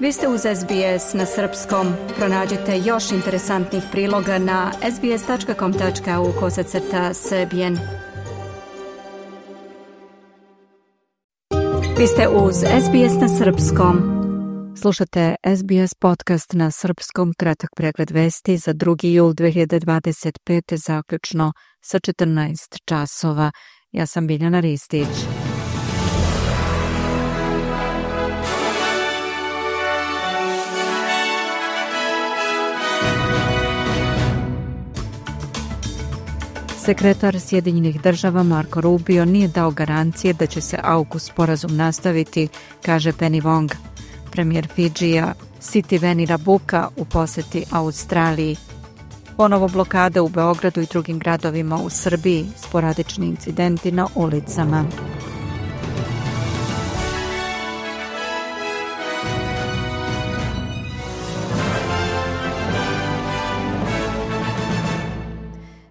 Vi ste uz SBS na srpskom. Pronađite još interesantnih priloga na sbs.com.au/srbijen. Vi ste uz SBS na srpskom. Slušate SBS podcast na srpskom, kratak pregled vesti za 2. jul 2025. zaključno sa 14 časova. Ja sam Biljana Ristić. Sekretar Sjedinjenih država Marco Rubio nije dao garancije da će se AUKUS sporazum nastaviti, kaže Penny Wong. Premijer Fidžija Sitiveni Rabuka u posjeti Australiji. Ponovo blokade u Beogradu i drugim gradovima u Srbiji, sporadični incidenti na ulicama.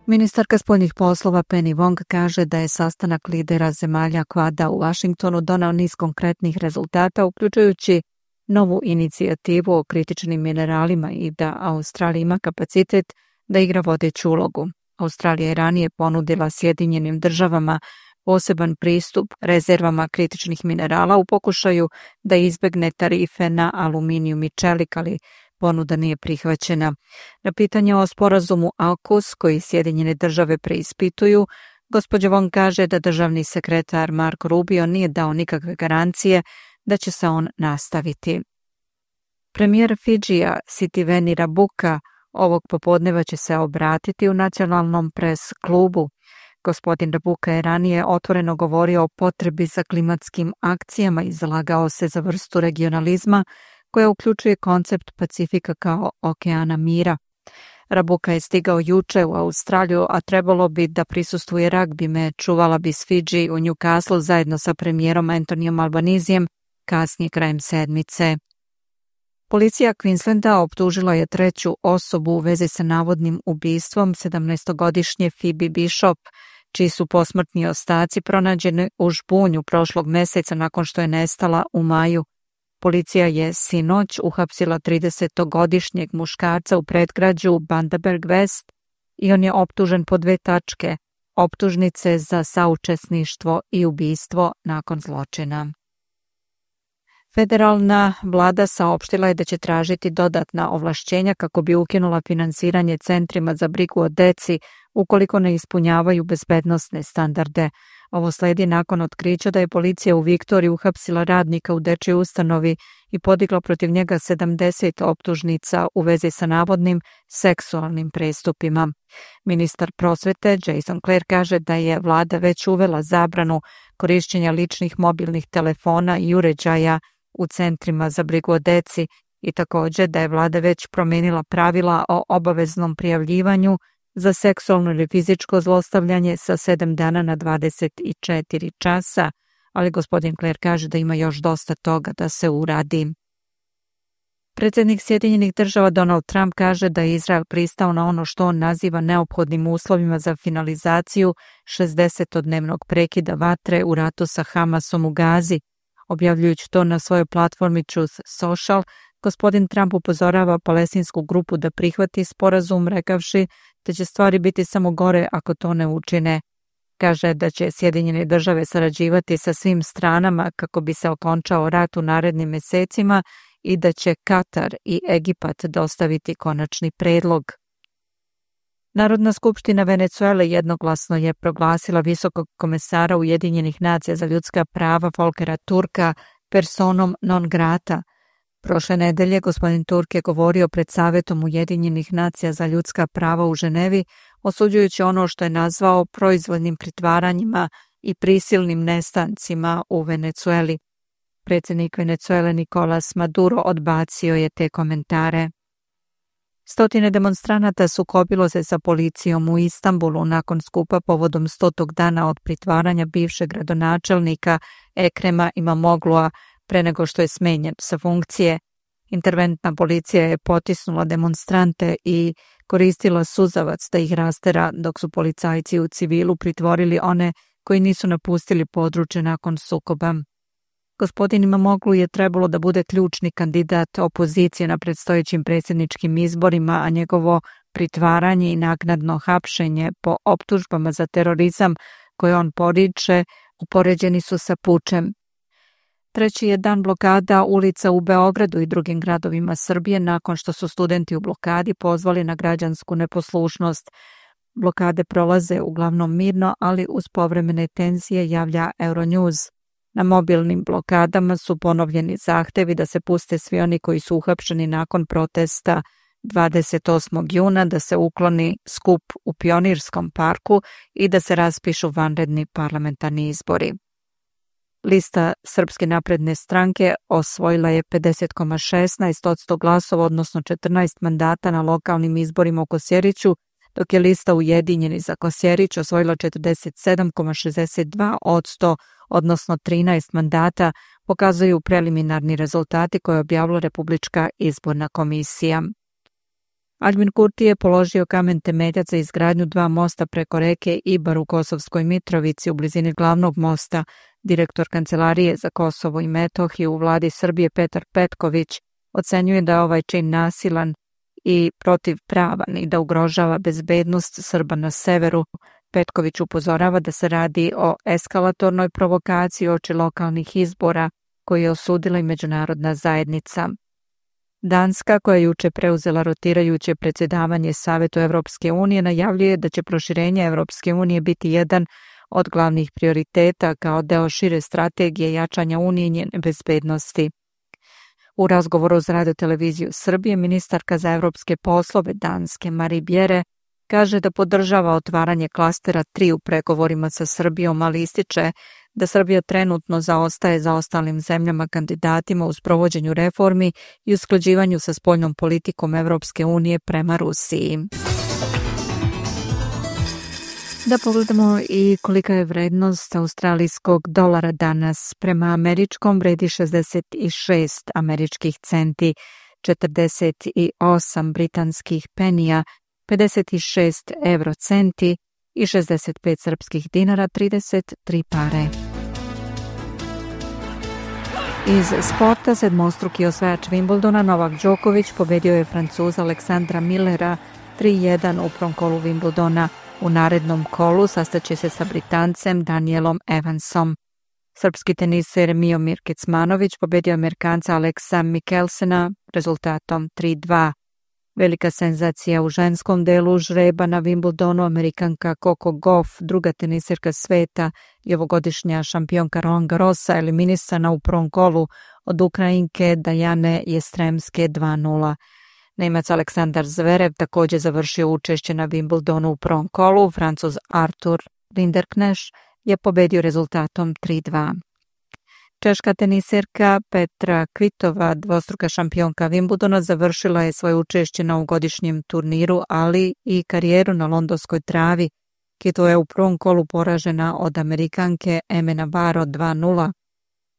Ministarka spoljnih poslova Penny Wong kaže da je sastanak lidera zemalja Kvada u Vašingtonu donao niz konkretnih rezultata, uključujući novu inicijativu o kritičnim mineralima i da Australija ima kapacitet da igra vodeću ulogu. Australija je ranije ponudila Sjedinjenim državama poseban pristup rezervama kritičnih minerala u pokušaju da izbegne tarife na aluminijum i čelik, ali ponuda nije prihvaćena. Na pitanje o sporazumu AUKUS koji Sjedinjene države preispituju, gospođa Wong kaže da državni sekretar Marco Rubio nije dao nikakve garancije da će se on nastaviti. Premijer Fidžija Sitiveni Rabuka ovog popodneva će se obratiti u nacionalnom pres klubu. Gospodin Rabuka je ranije otvoreno govorio o potrebi za klimatskim akcijama i zalagao se za vrstu regionalizma koja uključuje koncept Pacifika kao okeana mira. Rabuka je stigao juče u Australiju, a trebalo bi da prisustvuje ragbi meču Wallabies Fidži u Newcastle zajedno sa premijerom Anthonyom Albanizijem kasnije krajem sedmice. Policija Queenslanda optužila je treću osobu u vezi sa navodnim ubistvom 17-godišnje Phoebe Bishop, čiji su posmrtni ostaci pronađeni u žbunju prošlog meseca nakon što je nestala u maju. Policija je sinoć uhapsila 30-godišnjeg muškarca u predgrađu Bundaberg West i on je optužen po 2 tačke, optužnice za saučesništvo i ubistvo nakon zločina. Federalna vlada saopštila je da će tražiti dodatna ovlašćenja kako bi ukinula finansiranje centrima za brigu o deci ukoliko ne ispunjavaju bezbednosne standarde. Ovo sledi nakon otkrića da je policija u Viktoriji uhapsila radnika u dečjoj ustanovi i podigla protiv njega 70 optužnica u vezi sa navodnim seksualnim prestupima. Ministar prosvete Jason Clare kaže da je vlada već uvela zabranu korišćenja ličnih mobilnih telefona i uređaja u centrima za brigu o deci i također da je vlada već promijenila pravila o obaveznom prijavljivanju za seksualno ili fizičko zlostavljanje sa 7 dana na 24 časa, ali gospodin Clare kaže da ima još dosta toga da se uradi. Predsjednik Sjedinjenih država Donald Trump kaže da je Izrael pristao na ono što on naziva neophodnim uslovima za finalizaciju 60-dnevnog prekida vatre u ratu sa Hamasom u Gazi. Objavljujući to na svojoj platformi Truth Social, gospodin Trump upozorava palestinsku grupu da prihvati sporazum, rekavši da će stvari biti samo gore ako to ne učine. Kaže da će Sjedinjene države sarađivati sa svim stranama kako bi se okončao rat u narednim mesecima i da će Katar i Egipat dostaviti konačni predlog. Narodna skupština Venecuele jednoglasno je proglasila visokog komesara Ujedinjenih nacija za ljudska prava Volkera Turka personom non grata. Prošle nedelje gospodin Turk je govorio pred Savetom Ujedinjenih nacija za ljudska prava u Ženevi, osuđujući ono što je nazvao proizvoljnim pritvaranjima i prisilnim nestancima u Venecueli. Predsjednik Venecuele Nicolas Maduro odbacio je te komentare. Stotine demonstranata sukobilo se sa policijom u Istanbulu nakon skupa povodom 100. dana od pritvaranja bivšeg gradonačelnika Ekrema Imamoglu'a pre nego što je smenjen sa funkcije. Interventna policija je potisnula demonstrante i koristila suzavac da ih rastera, dok su policajci u civilu pritvorili one koji nisu napustili područje nakon sukoba. Gospodin Imamoglu je trebalo da bude ključni kandidat opozicije na predstojećim predsjedničkim izborima, a njegovo pritvaranje i naknadno hapšenje po optužbama za terorizam koje on poriče upoređeni su sa pučem. Treći je dan blokada ulica u Beogradu i drugim gradovima Srbije nakon što su studenti u blokadi pozvali na građansku neposlušnost. Blokade prolaze uglavnom mirno, ali uz povremene tenzije, javlja Euronews. Na mobilnim blokadama su ponovljeni zahtevi da se puste svi oni koji su uhapšeni nakon protesta 28. juna, da se ukloni skup u Pionirskom parku i da se raspišu vanredni parlamentarni izbori. Lista Srpske napredne stranke osvojila je 50,16% glasova, odnosno 14 mandata na lokalnim izborima u Kosjeriću, dok je lista Ujedinjeni za Kosjerić osvojila 47,62%, odnosno 13 mandata, pokazuju preliminarni rezultati koje je objavila Republička izborna komisija. Aljbin Kurti je položio kamen temeljac za izgradnju 2 mosta preko reke Ibar u Kosovskoj Mitrovici u blizini glavnog mosta. Direktor Kancelarije za Kosovo i Metohiju u vladi Srbije Petar Petković ocenjuje da je ovaj čin nasilan i protivpravan i da ugrožava bezbednost Srba na severu. Petković upozorava da se radi o eskalatornoj provokaciji uoči lokalnih izbora koji je osudila i međunarodna zajednica. Danska, koja je juče preuzela rotirajuće predsjedavanje Savetu Evropske unije, najavljuje da će proširenje Evropske unije biti jedan od glavnih prioriteta kao deo šire strategije jačanja unije i njene bezbednosti. U razgovoru za Radio-televiziju Srbije, ministarka za evropske poslove Danske Marie Bjerre kaže da podržava otvaranje klastera 3 u pregovorima sa Srbijom, ali ističe da Srbija trenutno zaostaje za ostalim zemljama kandidatima u sprovođenju reformi i usklađivanju sa spoljnom politikom Evropske unije prema Rusiji. Da pogledamo i kolika je vrednost australijskog dolara danas. Prema američkom vredi 66 američkih centi, 48 britanskih penija, 56 eurocenti i 65 srpskih dinara, 33 pare. Iz sporta, sedmostruki osvajač Wimbledona Novak Đoković pobedio je Francuza Aleksandra Millera 3-1 u prvom kolu Wimbledona. U narednom kolu sastaće se sa Britancem Danielom Evansom. Srpski teniser Miomir Kecmanović pobedio Amerikanca Aleksa Mikkelsena rezultatom 3-2. Velika senzacija u ženskom delu žreba na Wimbledonu, Amerikanka Coco Gauff, druga teniserka sveta i ovogodišnja šampionka Roland Garrosa, eliminisana u prvom kolu od Ukrajinke Dajane Jestremske 2-0. Nemac Aleksandar Zverev također završio učešće na Wimbledonu u prvom kolu. Francuz Artur Rinderkneš je pobedio rezultatom 3-2. Češka teniserka Petra Kvitova, dvostruka šampionka Wimbledona, završila je svoje učešće na ovogodišnjem turniru, ali i karijeru na londonskoj travi. Kvitova je u prvom kolu poražena od Amerikanke Eme Navarro 2-0.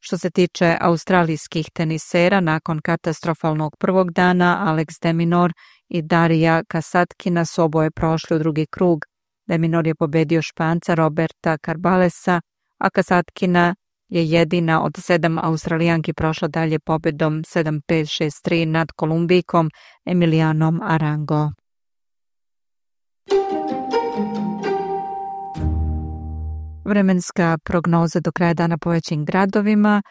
Što se tiče australijskih tenisera, nakon katastrofalnog prvog dana, Alex de Minaur i Darija Kasatkina su oboje prošli u drugi krug. De Minaur je pobedio Španca Roberta Carbalesa, a Kasatkina je jedina od 7 Australijanki prošla dalje pobedom 7-5-6-3 nad Kolumbijkom Emilijanom Arango. Vremenska prognoza do kraja dana po većim gradovima: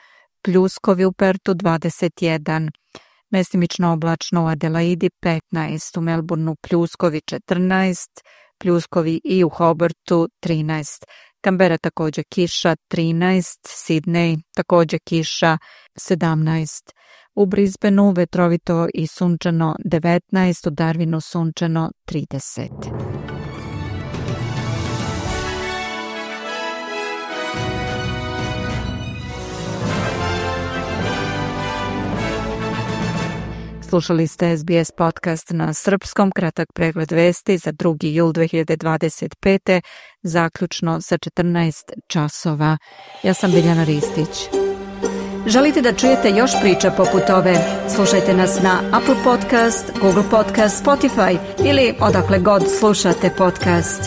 pljuskovi u Pertu 21, mestimično oblačno u Adelaidi 15, u Melbourneu pljuskovi 14, pljuskovi i u Hobartu 13, Kambera također kiša 13, Sidney također kiša 17, u Brisbaneu vetrovito i sunčano 19, u Darwinu sunčano 30. Slušali ste SBS podcast na srpskom, kratak pregled vesti za 2. jul 2025. zaključno sa 14 časova. Ja sam Biljana Ristić. Želite da čujete još priča poput ove? Slušajte nas na Apple Podcast, Google Podcast, Spotify ili odakle god slušate podcast.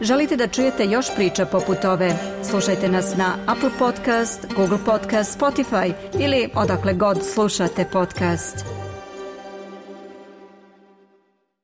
Želite da čujete još priča poput ove? Slušajte nas na Apple Podcast, Google Podcast, Spotify ili odakle god slušate podcast.